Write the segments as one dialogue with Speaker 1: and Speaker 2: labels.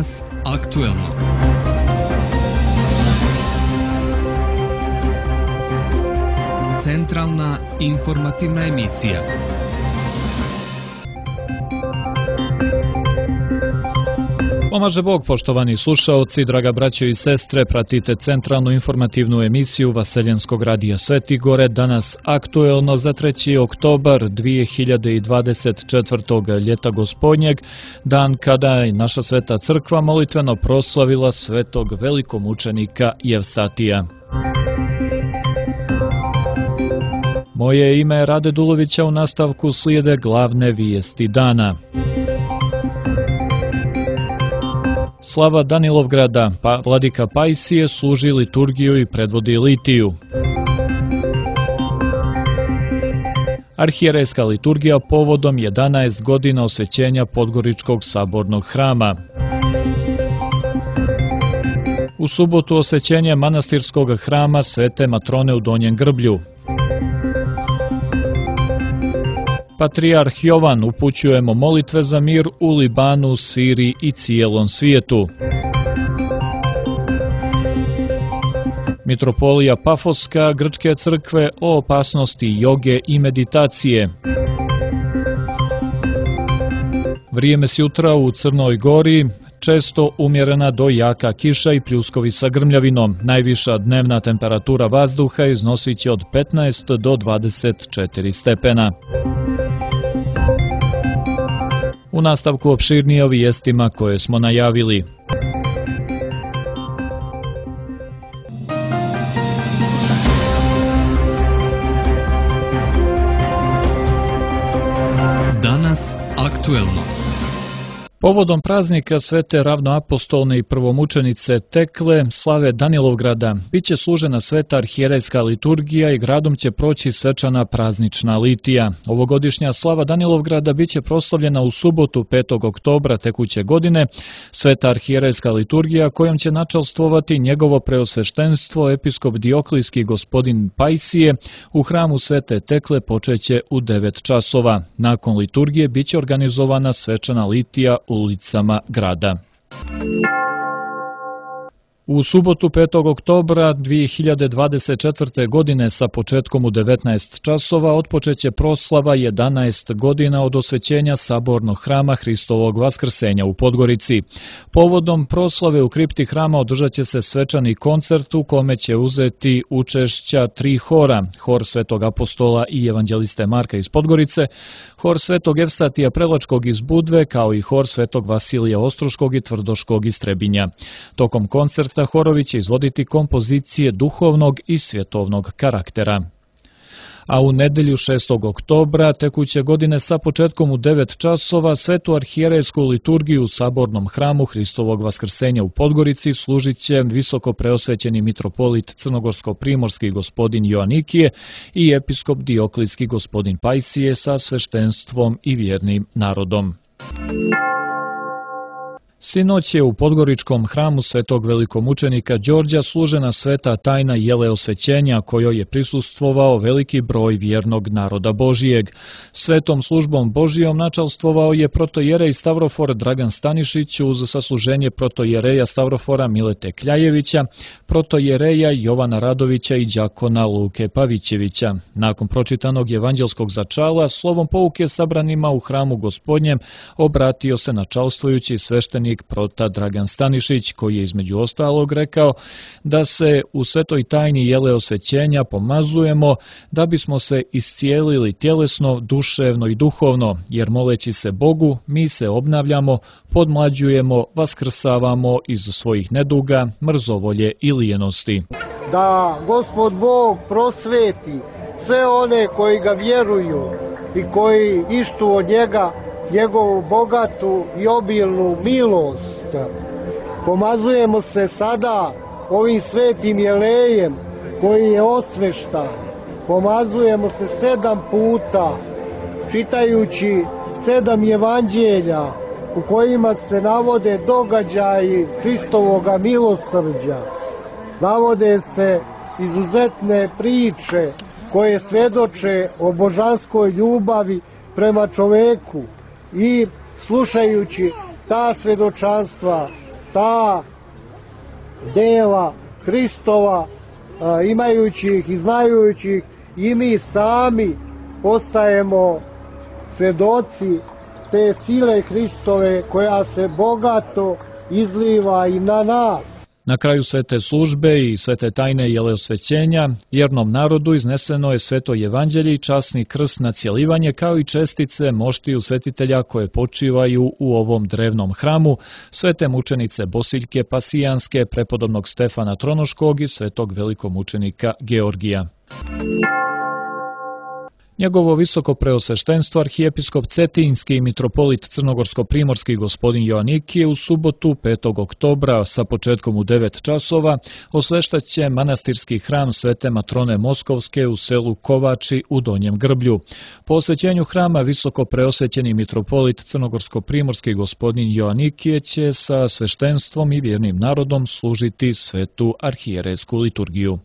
Speaker 1: Danas aktuelno. Centralna informativna emisija.
Speaker 2: Pomaže Bog, poštovani slušaoci, draga braćo i sestre, pratite centralnu informativnu emisiju Vaseljenskog radija Sveti Gore, danas aktuelno za 3. oktobar 2024. ljeta gospodnjeg, dan kada je naša Sveta Crkva molitveno proslavila svetog velikomučenika Jevstatija. Moje ime je Rade Dulovića, u nastavku slijede glavne vijesti dana. Slava Danilovgrada, vladika Pajsije služi liturgiju i predvodi litiju. Arhijerejska liturgija povodom 11 godina osvećenja Podgoričkog sabornog hrama. U subotu osvećenje manastirskog hrama Svete Matrone u Donjem Grblju. Patrijarh Jovan, upućujemo molitve za mir u Libanu, Siriji i cijelom svijetu. Mitropolija Pafoska Grčke crkve o opasnosti joge i meditacije. Vrijeme s jutra u Crnoj Gori, često umjerena do jaka kiša i pljuskovi sa grmljavinom. Najviša dnevna temperatura vazduha iznosit će od 15 do 24 stepena. U nastavku opširnije o vijestima koje smo najavili.
Speaker 1: Danas aktuelno.
Speaker 2: Povodom praznika Svete ravnoapostolne i prvomučenice Tekle, slave Danilovgrada, bit će služena sveta arhijerejska liturgija i gradom će proći svečana praznična litija. Ovogodišnja slava Danilovgrada bit će proslavljena u subotu 5. oktobra tekuće godine. Sveta arhijerejska liturgija kojom će načalstvovati njegovo preosveštenstvo episkop Dioklijski gospodin Pajsije u hramu Svete Tekle počeće u 9 časova. Nakon liturgije bit će organizovana svečana litija ulicama grada. U subotu 5. oktobra 2024. godine sa početkom u 19 časova otpočeće proslava 11 godina od osvećenja sabornog hrama Hristovog Vaskrsenja u Podgorici. Povodom proslave u kripti hrama održat će se svečani koncert u kome će uzeti učešća 3 hora, hor Svetog apostola i evanđeliste Marka iz Podgorice, hor Svetog Jevstatija Preločkog iz Budve, kao i hor Svetog Vasilija Ostroškog i Tvrdoškog iz Trebinja. Tokom koncerta horovi će izvoditi kompozicije duhovnog i svjetovnog karaktera. A u nedelju 6. oktobra tekuće godine sa početkom u 9 časova svetu arhijerejsku liturgiju u sabornom hramu Hristovog Vaskrsenja u Podgorici služit će visoko preosvećeni mitropolit crnogorsko-primorski gospodin Joanikije i episkop Dioklijski gospodin Pajsije sa sveštenstvom i vjernim narodom. Sinoć je u Podgoričkom hramu Svetog velikomučenika Đorđa služena sveta tajna jele osvećenja kojoj je prisustvovao veliki broj vjernog naroda Božijeg. Svetom službom Božijom načalstvovao je protojerej Stavrofor Dragan Stanišić uz sasluženje protojereja Stavrofora Milete Kljajevića, protojereja Jovana Radovića i đakona Luke Pavićevića. Nakon pročitanog evanđelskog začala, slovom pouke sabranima u hramu Gospodnjem obratio se načalstvujući sveštenik prota Dragan Stanišić, koji je između ostalog rekao da se u svetoj tajni jele osvećenja pomazujemo da bismo se iscijelili tjelesno, duševno i duhovno, jer moleći se Bogu mi se obnavljamo, podmlađujemo, vaskrsavamo iz svojih neduga, mrzovolje i lijenosti.
Speaker 3: Da Gospod Bog prosveti sve one koji ga vjeruju i koji ištu od njega njegovu bogatu i obilnu milost. Pomazujemo se sada ovim svetim jelejem koji je osveštan. Pomazujemo se 7 puta čitajući 7 evanđelja u kojima se navode događaji Hristovoga milosrđa. Navode se izuzetne priče koje svjedoče o božanskoj ljubavi prema čoveku i slušajući ta svjedočanstva ta dela Hristova, imajući ih i znajući ih, i mi sami postajemo svedoci te sile Hristove koja se bogato izliva i na nas.
Speaker 2: Na kraju svete službe i svete tajne jelosvećenja, vjernom narodu izneseno je sveto evanđelje i časni krst na cjelivanje, kao i čestice moštiju svetitelja koje počivaju u ovom drevnom hramu, svete mučenice Bosiljke Pasijanske, prepodobnog Stefana Tronoškog i svetog velikomučenika Georgija. Njegovo visoko preosveštenstvo arhijepiskop Cetinjski i mitropolit crnogorsko-primorski gospodin Joanikije u subotu 5. oktobra sa početkom u 9 časova osveštaće manastirski hram Svete Matrone Moskovske u selu Kovači u Donjem Grblju. Po osvećenju hrama visoko preosvećeni mitropolit crnogorsko-primorski gospodin Joanikije će sa sveštenstvom i vjernim narodom služiti svetu arhijerejsku liturgiju.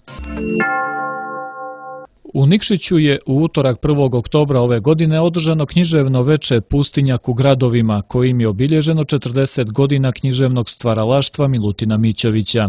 Speaker 2: U Nikšiću je u utorak 1. oktobra ove godine održano književno veče Pustinjak u gradovima, kojim je obilježeno 40 godina književnog stvaralaštva Milutina Mićovića.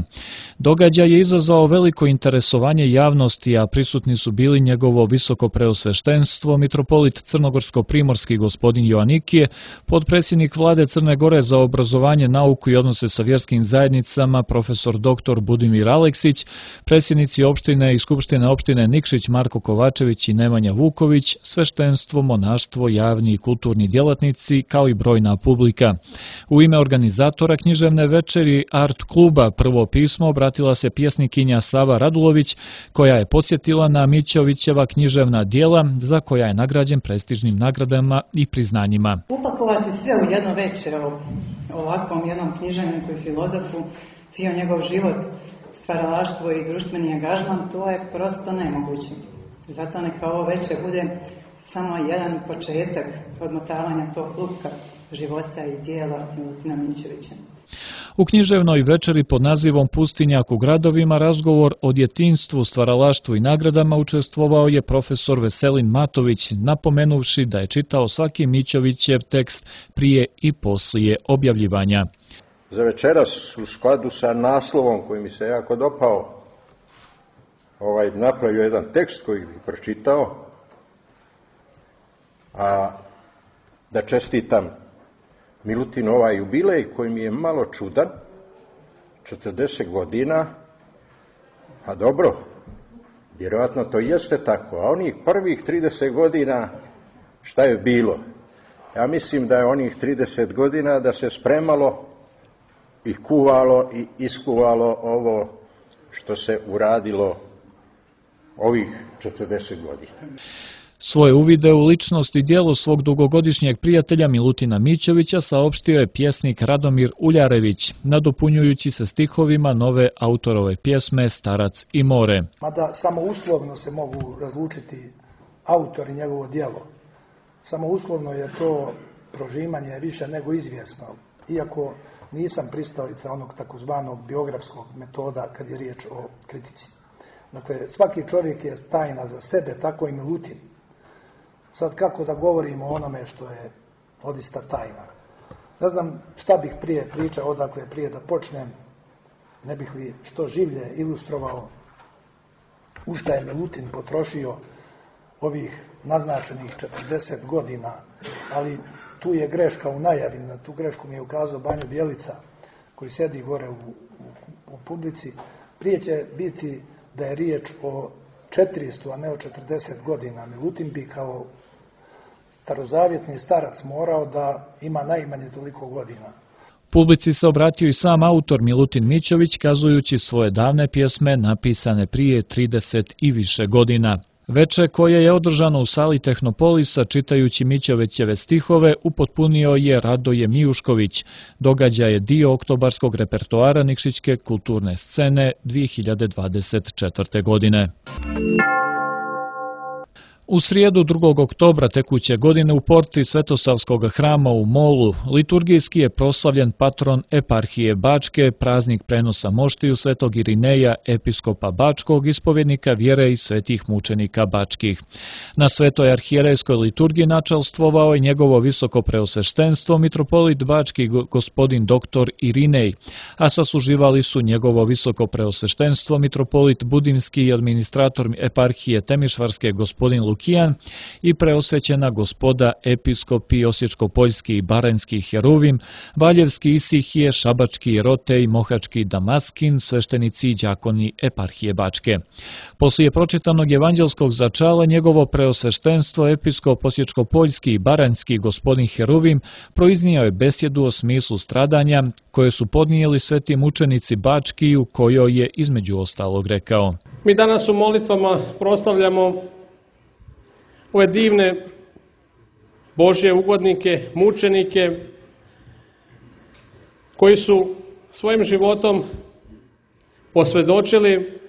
Speaker 2: Događaj je izazvao veliko interesovanje javnosti, a prisutni su bili njegovo visoko preosveštenstvo, mitropolit crnogorsko-primorski gospodin Joanikije, potpredsjednik vlade Crne Gore za obrazovanje, nauku i odnose sa vjerskim zajednicama, profesor dr. Budimir Aleksić, predsjednici opštine i skupštine opštine Nikšić Marko Kovačević i Nemanja Vuković, sveštenstvo, monaštvo, javni i kulturni djelatnici, kao i brojna publika. U ime organizatora književne večeri Art kluba Prvo pismo obratila se pjesnikinja Sava Radulović, koja je podsjetila na Mićovićeva književna djela, za koja je nagrađen prestižnim nagradama i priznanjima.
Speaker 4: Upakovati sve u jedno veče o ovakvom jednom književniku i filozofu, cijel njegov život, stvaralaštvo i društveni angažman, to je prosto nemoguće. Zato neka ovo večer bude samo jedan početak odmotavanja tog klupka života i dijela Milutina Mićovića.
Speaker 2: U književnoj večeri pod nazivom Pustinjak u gradovima razgovor o djetinjstvu, stvaralaštvu i nagradama učestvovao je profesor Veselin Matović, napomenuvši da je čitao svaki Mićovićev tekst prije i poslije objavljivanja.
Speaker 5: Za večeras, u skladu sa naslovom koji mi se jako dopao, napravio jedan tekst koji bih pročitao, a da čestitam Milutinu ovaj jubilej koji mi je malo čudan, 40 godina, a dobro, vjerojatno to jeste tako, a onih prvih 30 godina šta je bilo? Ja mislim da je onih 30 godina da se spremalo i kuvalo i iskuvalo ovo što se uradilo ovih 40 godina.
Speaker 2: Svoje uvide u ličnost i djelo svog dugogodišnjeg prijatelja Milutina Mićovića saopštio je pjesnik Radomir Uljarević, nadopunjujući se stihovima nove autorove pjesme Starac i more.
Speaker 6: Mada samo uslovno se mogu razlučiti autor i njegovo djelo. Samo uslovno je to prožimanje više nego izvjesno, iako nisam pristalica onog takozvanog biografskog metoda kad je riječ o kritici. Dakle, svaki čovjek je tajna za sebe, tako i Milutin. Sad kako da govorimo o onome što je odista tajna? Ne znam šta bih prije pričao, odakle prije da počnem, ne bih li što življe ilustrovao u šta je Milutin potrošio ovih naznačenih 40 godina, ali tu je greška u najavi, na tu grešku mi je ukazao Banjo Bjelica, koji sedi gore u publici. Prije će biti da je riječ o 400, a ne o 40 godina. Milutin bi kao starozavjetni starac morao da ima najmanje toliko godina.
Speaker 2: Publici se obratio i sam autor Milutin Mićović, kazujući svoje davne pjesme napisane prije 30 i više godina. Veče koje je održano u sali Tehnopolisa čitajući Mićovićeve stihove upotpunio je Radoje Mijušković. Događaj je dio oktobarskog repertoara Nikšićke kulturne scene 2024. godine. U srijedu 2. oktobra tekuće godine u porti Svetosavskog hrama u Molu liturgijski je proslavljen patron eparhije Bačke, praznik prenosa moštiju Svetog Irineja, episkopa Bačkog, ispovjednika vjere i svetih mučenika bačkih. Na svetoj arhijerejskoj liturgiji načelstvovao je njegovo visoko preosveštenstvo mitropolit Bački gospodin dr. Irinej, a sasuživali su njegovo visoko preosveštenstvo mitropolit Budimski i administrator eparhije Temišvarske gospodin Lukijan i preosvećena gospoda episkopi Osječko-Poljski i Baranjski Heruvim, Valjevski Isihije, Šabački Jerotej, Mohački Damaskin, sveštenici i đakoni eparhije Bačke. Poslije pročitanog evanđelskog začala njegovo preosveštenstvo episkop Osječko-Poljski i Baranjski gospodin Heruvim proiznio je besjedu o smislu stradanja koje su podnijeli sveti mučenici Bački, u kojoj je između ostalog rekao:
Speaker 7: Mi danas u molitvama proslavljamo ove divne Božje ugodnike, mučenike, koji su svojim životom posvjedočili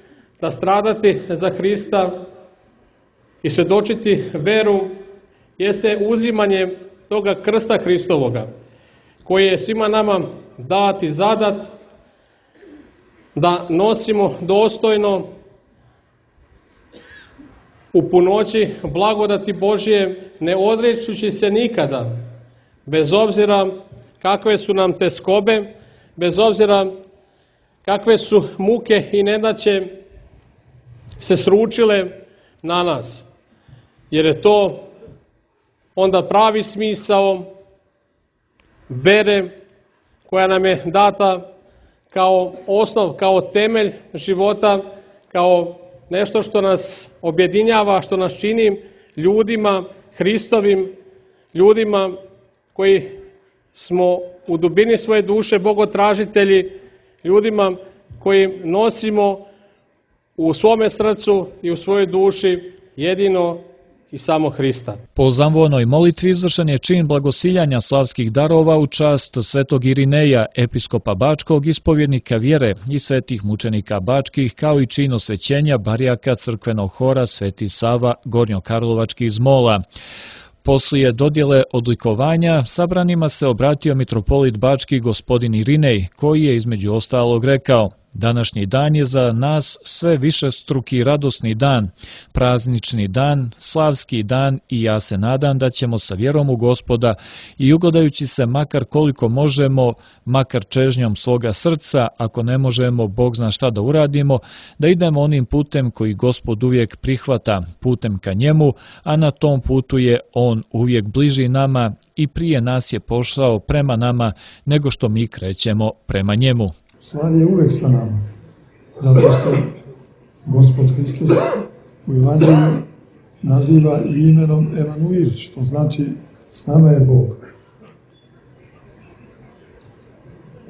Speaker 7: da stradati za Hrista i svjedočiti veru jeste uzimanje toga krsta Hristovoga, koji je svima nama dat i zadat da nosimo dostojno u punoći blagodati Božje, ne odrećući se nikada, bez obzira kakve su nam teskobe, bez obzira kakve su muke i nedaće se sručile na nas. Jer je to onda pravi smisao vere koja nam je data kao osnov, kao temelj života, kao nešto što nas objedinjava, što nas čini ljudima, Hristovim ljudima koji smo u dubini svoje duše bogotražitelji, ljudima koji nosimo u svome srcu i u svojoj duši jedino i samo Hrista.
Speaker 2: Po zamvonoj molitvi izvršen je čin blagosiljanja slavskih darova u čast svetog Irineja, episkopa Bačkog, ispovjednika vjere i svetih mučenika Bačkih, kao i čin osvećenja barjaka crkvenog hora Sveti Sava Gornjokarlovački iz Mola. Poslije dodjele odlikovanja sabranima se obratio mitropolit Bački gospodin Irinej, koji je između ostalog rekao: današnji dan je za nas sve višestruki radosni dan, praznični dan, slavski dan i ja se nadam da ćemo sa vjerom u Gospoda i ugledajući se makar koliko možemo, makar čežnjom svoga srca, ako ne možemo, Bog zna šta da uradimo, da idemo onim putem koji Gospod uvijek prihvata, putem ka njemu, a na tom putu je on uvijek bliži nama i prije nas je pošao prema nama nego što mi krećemo prema njemu.
Speaker 8: Stvar je uvek sa nama. Zato se Gospod Hristos u Evanđelju naziva i imenom Emanuil, što znači s nama je Bog.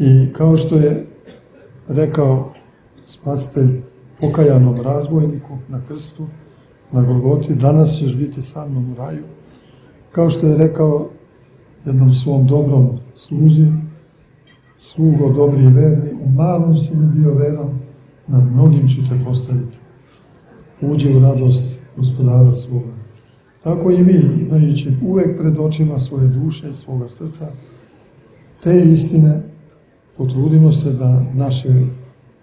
Speaker 8: I kao što je rekao Spasitelj pokajanom razbojniku na krstu, na Golgoti, danas ćeš biti sa mnom u raju. Kao što je rekao jednom svom dobrom sluzi, slugo dobri i verni, u malom si mi bio veran, nad mnogim ću te postaviti. Uđi u radost Gospodara svoga. Tako i mi, imajući uvek pred očima svoje duše i svoga srca, te istine potrudimo se da naše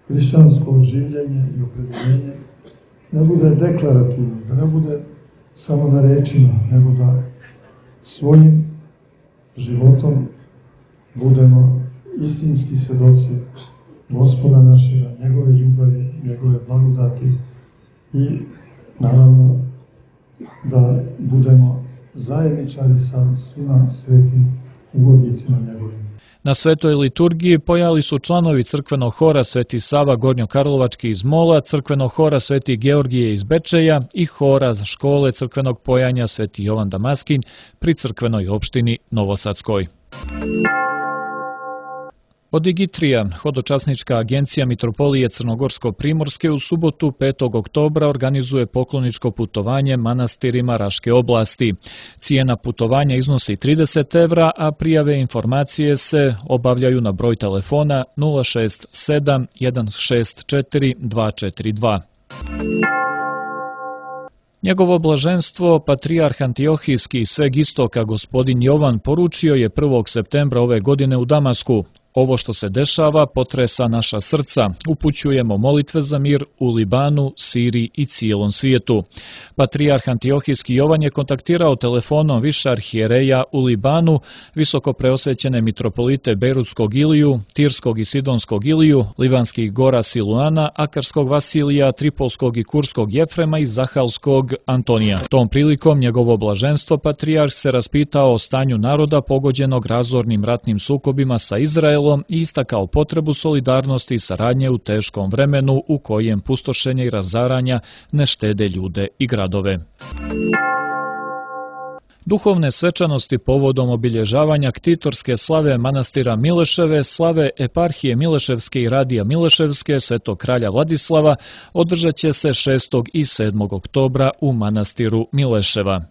Speaker 8: hrišćansko življenje i opredeljenje ne bude deklarativno, da ne bude samo na rečima, nego da svojim životom budemo istinski svjedoci Gospoda našega, njegove ljubavi, njegove blagodati i naravno da budemo zajedničari sa svima svetim ugodnicima njegovim.
Speaker 2: Na svetoj liturgiji pojavili su članovi crkvenog hora Sveti Sava Gornjokarlovački iz Mola, crkvenog hora Sveti Georgije iz Bečeja i hora škole crkvenog pojanja Sveti Jovan Damaskin pri crkvenoj opštini Novosadskoj. Odigitrija, hodočasnička agencija Mitropolije Crnogorsko-Primorske, u subotu 5. oktobra organizuje pokloničko putovanje manastirima Raške oblasti. Cijena putovanja iznosi 30 evra, a prijave i informacije se obavljaju na broj telefona 067 164 242. Njegovo blaženstvo, patrijarh Antiohijski sveg istoka gospodin Jovan poručio je 1. septembra ove godine u Damasku: ovo što se dešava potresa naša srca, upućujemo molitve za mir u Libanu, Siriji i cijelom svijetu. Patrijarh Antiohijski Jovan je kontaktirao telefonom više arhijereja u Libanu, visoko preosvećene mitropolite Bejrutskog Iliju, Tirskog i Sidonskog Iliju, Livanskih gora Siluana, Akarskog Vasilija, Tripolskog i Kurskog Jefrema i Zahalskog Antonija. Tom prilikom njegovo blaženstvo patrijarh se raspitao o stanju naroda pogođenog razornim ratnim sukobima sa Izraelom i istakao potrebu solidarnosti i saradnje u teškom vremenu u kojem pustošenje i razaranja ne štede ljude i gradove. Duhovne svečanosti povodom obilježavanja ktitorske slave manastira Mileševe, slave eparhije Mileševske i radija Mileševske Svetog kralja Vladislava održat će se 6. i 7. oktobra u manastiru Mileševa.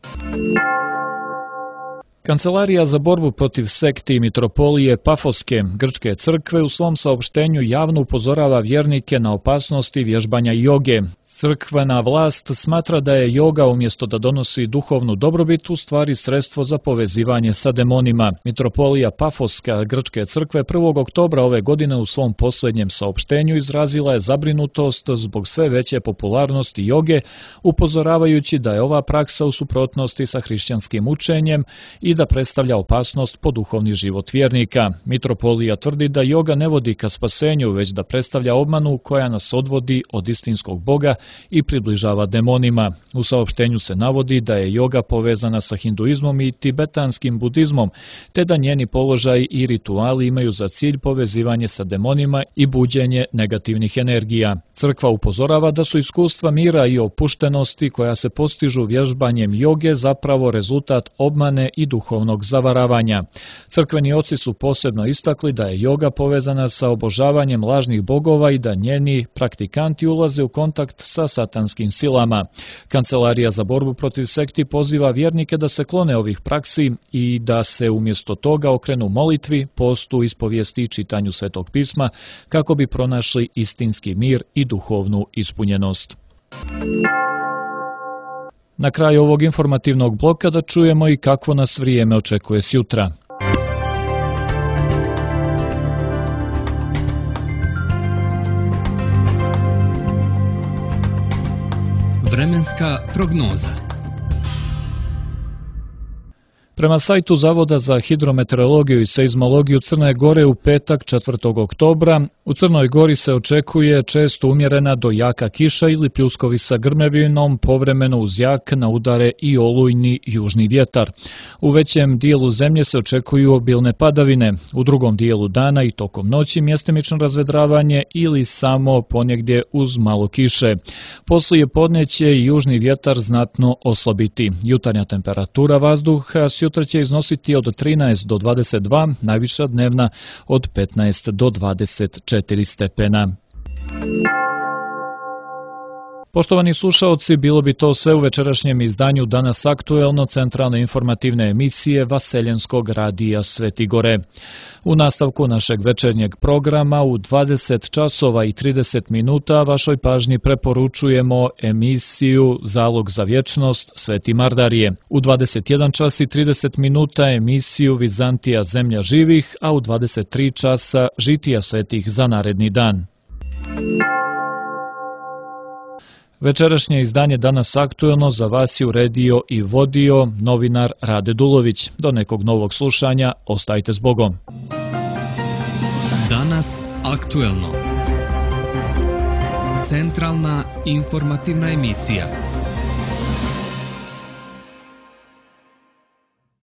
Speaker 2: Kancelarija za borbu protiv sekti i mitropolije Pafoske grčke crkve u svom saopštenju javno upozorava vjernike na opasnosti vježbanja joge. Crkvena vlast smatra da je joga umjesto da donosi duhovnu dobrobit u stvari sredstvo za povezivanje sa demonima. Mitropolija Pafoska grčke crkve 1. oktobra ove godine u svom posljednjem saopštenju izrazila je zabrinutost zbog sve veće popularnosti joge, upozoravajući da je ova praksa u suprotnosti sa hrišćanskim učenjem i da predstavlja opasnost po duhovni život vjernika. Mitropolija tvrdi da joga ne vodi ka spasenju, već da predstavlja obmanu koja nas odvodi od istinskog Boga i približava demonima. U saopštenju se navodi da je joga povezana sa hinduizmom i tibetanskim budizmom, te da njeni položaj i rituali imaju za cilj povezivanje sa demonima i buđenje negativnih energija. Crkva upozorava da su iskustva mira i opuštenosti koja se postižu vježbanjem joge zapravo rezultat obmane i duhovnog zavaravanja. Crkveni oci su posebno istakli da je joga povezana sa obožavanjem lažnih bogova i da njeni praktikanti ulaze u kontakt sa satanskim silama. Kancelarija za borbu protiv sekti poziva vjernike da se klone ovih praksi i da se umjesto toga okrenu molitvi, postu, ispovijesti i čitanju Svetog pisma kako bi pronašli istinski mir i duhovnu ispunjenost. Na kraju ovog informativnog bloka da čujemo i kakvo nas vrijeme očekuje sjutra.
Speaker 1: Vremenska prognoza.
Speaker 2: Prema sajtu Zavoda za hidrometeorologiju i seizmologiju Crne Gore u petak 4. oktobra u Crnoj Gori se očekuje često umjerena do jaka kiša ili pljuskovi sa grmevinom, povremeno uz jak na udare i olujni južni vjetar. U većem dijelu zemlje se očekuju obilne padavine, u drugom dijelu dana i tokom noći mjestimično razvedravanje ili samo ponegdje uz malo kiše. Poslije podne će i južni vjetar znatno oslabiti. Jutarnja temperatura vazduha sutra će iznositi od 13 do 22, najviša dnevna od 15 do 24 stepena. Poštovani slušaoci, bilo bi to sve u večerašnjem izdanju Danas aktuelno centralne informativne emisije Vaseljenskog radija Sveti Gore. U nastavku našeg večernjeg programa u 20 časova i 30 minuta vašoj pažnji preporučujemo emisiju Zalog za vječnost Sveti Mardarije. U 21 čas i 30 minuta emisiju Vizantija zemlja živih, a u 23 časa Žitija svetih za naredni dan. Večerašnje izdanje Danas aktuelno za vas je uredio i vodio novinar Rade Dulović. Do nekog novog slušanja, ostajte s Bogom.
Speaker 1: Danas aktuelno. Centralna informativna emisija.